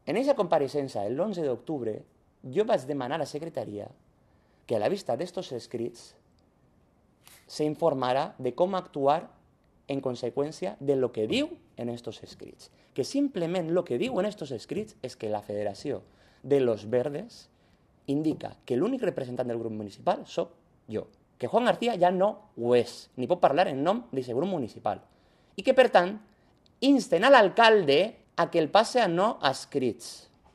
En aquesta compareixença, l'11 d'octubre, jo vaig demanar a la secretaria que a la vista d'estos escrits se informara de com actuar en conseqüència de lo que diu en estos escrits. Que simplement lo que diu en estos escrits és que la Federació de los Verdes indica que l'únic representant del grup municipal soc jo, que Juan García ja no ho és, ni pot parlar en nom d'aquest grup municipal, i que, per tant, insten a l'alcalde a que el passe a no escrits.